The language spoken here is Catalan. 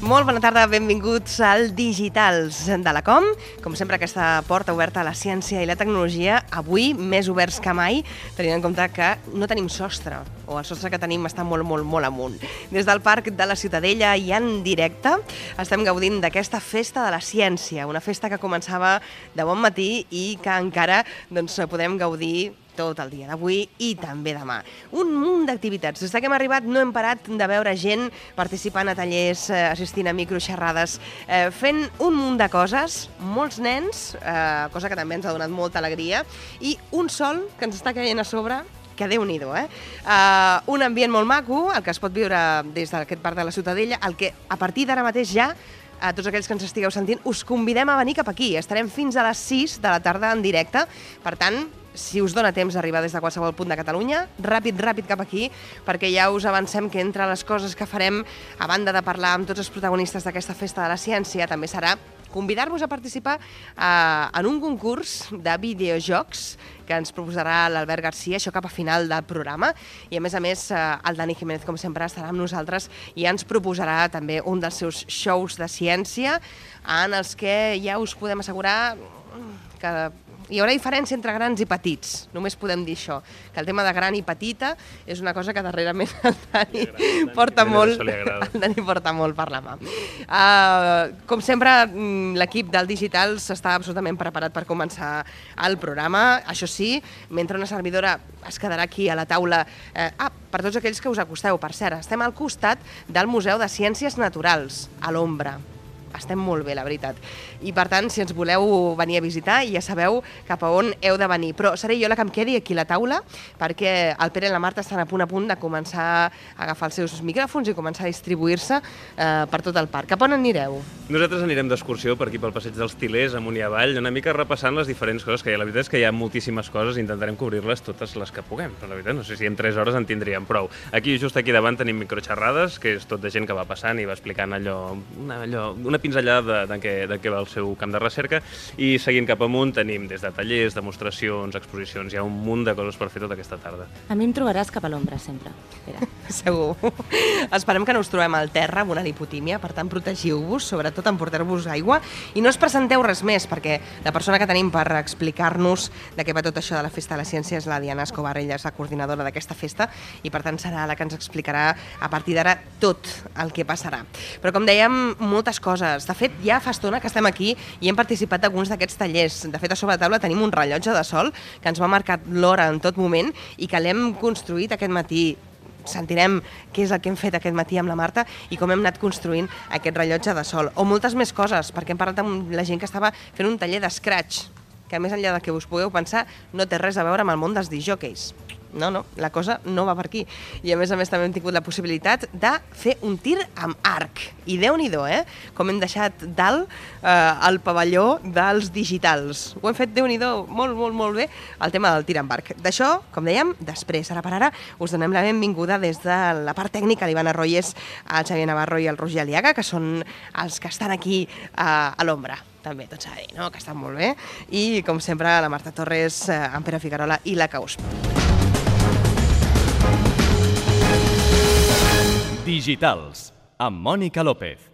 Molt bona tarda, benvinguts al Digitals de la Com. Com sempre, aquesta porta oberta a la ciència i la tecnologia, avui més oberts que mai, tenint en compte que no tenim sostre, o el sostre que tenim està molt amunt. Des del Parc de la Ciutadella i en directe estem gaudint d'aquesta festa de la ciència, una festa que començava de bon matí i que encara podem gaudir tot el dia d'avui i també demà. Un munt d'activitats. Des que hem arribat no hem parat de veure gent participant a tallers, assistint a microxerrades, fent un munt de coses, molts nens, cosa que també ens ha donat molta alegria, i un sol que ens està caient a sobre, que Déu-n'hi-do, un ambient molt maco, el que es pot viure des d'aquest Parc de la Ciutadella, el que a partir d'ara mateix ja a tots aquells que ens estigueu sentint, us convidem a venir cap aquí. Estarem fins a les 6 de la tarda en directe. Per tant, si us dona temps d'arribar des de qualsevol punt de Catalunya, ràpid cap aquí, perquè ja us avancem que entre les coses que farem, a banda de parlar amb tots els protagonistes d'aquesta festa de la ciència, també serà convidar-vos a participar en un concurs de videojocs que ens proposarà l'Albert Garcia, això cap a final del programa, i a més, el Dani Jiménez, com sempre, estarà amb nosaltres i ens proposarà també un dels seus shows de ciència en els que ja us podem assegurar que hi haurà diferència entre grans i petits, només podem dir això, que el tema de gran i petita és una cosa que darrerament el Dani porta molt per la mà. Com sempre, l'equip del Digitals està absolutament preparat per començar el programa. Això sí, mentre una servidora es quedarà aquí a la taula, per tots aquells que us acosteu, per cert, estem al costat del Museu de Ciències Naturals, a l'ombra. Estem molt bé, la veritat. I, per tant, si ens voleu venir a visitar, ja sabeu cap a on heu de venir. Però seré jo la que em quedi aquí a la taula, perquè el Pere i la Marta estan a punt de començar a agafar els seus micròfons i començar a distribuir-se per tot el parc. Cap on anireu? Nosaltres anirem d'excursió per aquí pel passeig dels Til·lers, amunt i avall, una mica repassant les diferents coses que hi ha. La veritat és que hi ha moltíssimes coses i intentarem cobrir-les totes les que puguem. Però la veritat, no sé si en 3 hores en tindríem prou. Aquí, just aquí davant, tenim microxerrades, que és tot de gent que va passant i va explicant una pinzellada de què va el seu camp de recerca, i seguint cap amunt tenim des de tallers, demostracions, exposicions, hi ha un munt de coses per fer tota aquesta tarda. A mi em trobaràs cap a l'ombra, sempre. Segur. Esperem que no us trobem al terra amb una lipotímia, per tant protegiu-vos, sobretot emportar-vos aigua, i no us presenteu res més, perquè la persona que tenim per explicar-nos de què va tot això de la Festa de la Ciència és la Diana Escobar, ella és la coordinadora d'aquesta festa, i per tant serà la que ens explicarà a partir d'ara tot el que passarà. Però com dèiem, moltes coses. De fet, ja fa estona que estem aquí i hem participat d'alguns d'aquests tallers. De fet, a sobre la taula tenim un rellotge de sol que ens va marcar l'hora en tot moment i que l'hem construït aquest matí. Sentirem què és el que hem fet aquest matí amb la Marta i com hem anat construint aquest rellotge de sol. O moltes més coses, perquè hem parlat amb la gent que estava fent un taller d'Scratch, que més enllà de que us pugueu pensar, no té res a veure amb el món dels discjòqueis. No, la cosa no va per aquí. I a més també hem tingut la possibilitat de fer un tir amb arc. I Déu-n'hi-do, com hem deixat dalt el pavelló dels Digitals. Ho hem fet, Déu-n'hi-do, molt bé, el tema del tir amb arc. D'això, com dèiem, després, ara per ara, us donem la benvinguda des de la part tècnica, l'Ivana Royes, el Xavier Navarro i el Roger Aliaga, que són els que estan aquí a l'ombra. També, tot s'ha de dir, que estan molt bé. I, com sempre, la Marta Torres, en Pere Figuerola i la Caus. Digitals, amb Mònica López.